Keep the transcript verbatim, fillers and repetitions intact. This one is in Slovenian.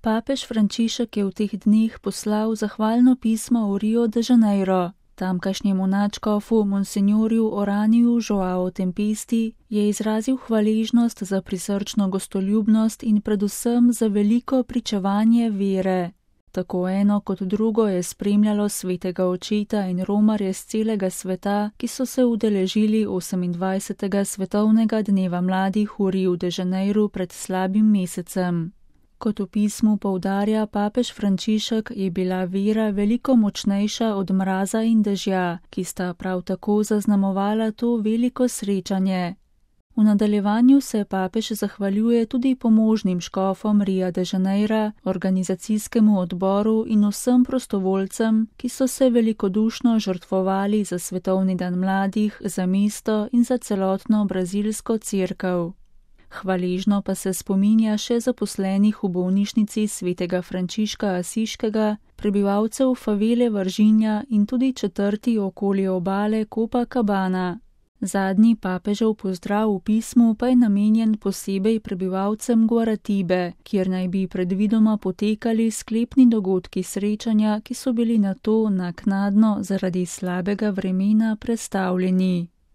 Papež Frančišek je v teh dneh poslal zahvalno pismo v Rio de Janeiro. Tamkajšnjemu nadškofu monsignorju Oraniju Joao Tempesti je izrazil hvaležnost za prisrčno gostoljubnost in predvsem za veliko pričevanje vere. Tako eno kot drugo je spremljalo svetega očeta in romarje z celega sveta, ki so se udeležili osemindvajsetega svetovnega dneva mladih v Riu de Janeiru pred slabim mesecem. Kot v pismu poudarja papež Frančišek, je bila vera veliko močnejša od mraza in dežja, ki sta prav tako zaznamovala to veliko srečanje. V nadaljevanju se papež zahvaljuje tudi pomožnim škofom Ria de Janeira, organizacijskemu odboru in vsem prostovoljcem, ki so se velikodušno žrtvovali za svetovni dan mladih, za mesto in za celotno brazilsko cerkev. Hvaležno pa se spominja še zaposlenih v bolnišnici svetega Frančiška Asiškega, prebivalcev favele Vržinja in tudi četrti okoli obale Copacabana. Zadnji papežev pozdrav v pismu pa je namenjen posebej prebivalcem Guaratibe, kjer naj bi predvidoma potekali sklepni dogodki srečanja, ki so bili nato naknadno zaradi slabega vremena prestavljeni.